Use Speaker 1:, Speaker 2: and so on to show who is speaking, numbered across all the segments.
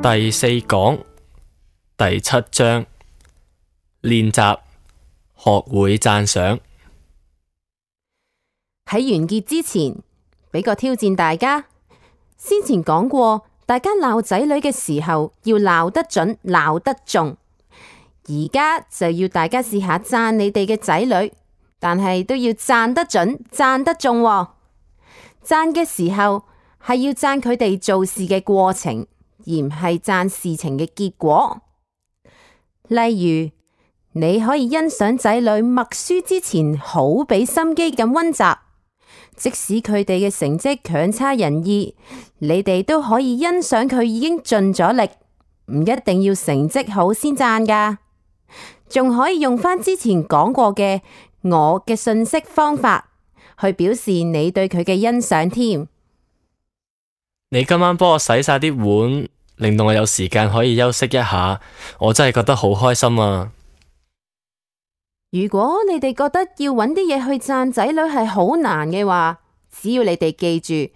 Speaker 1: 第四講第7章練習學會讚賞。
Speaker 2: 喺完結之前，俾個挑戰大家。先前講過，大家鬧仔女嘅時候要鬧得準、鬧得中。而家就要大家試下讚你哋嘅仔女，但係都要讚得準、讚得中喎。讚嘅時候係要讚佢哋做事嘅過程，而唔係讚事情嘅結果。例如，你可以欣賞仔女默書之前好俾心機咁溫習，即使佢哋嘅成績強差人意，你哋都可以欣賞佢已經盡咗力，唔一定要成績好先讚㗎，仲可以用返之前講過嘅我嘅信息方法去表示你對佢嘅欣賞添。
Speaker 1: 你今晚幫我洗晒啲碗，令到我有時間可以休息一下，我真係覺得好開心啊！
Speaker 2: 如果你哋覺得要揾啲嘢去讚仔女係好難嘅話，只要你哋記住，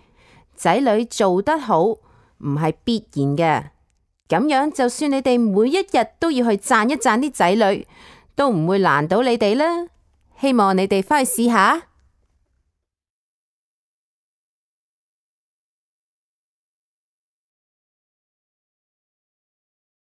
Speaker 2: 仔女做得好唔係必然嘅，咁樣就算你哋每一日都要去讚一讚啲仔女，都唔會難到你哋啦。希望你哋返去試下。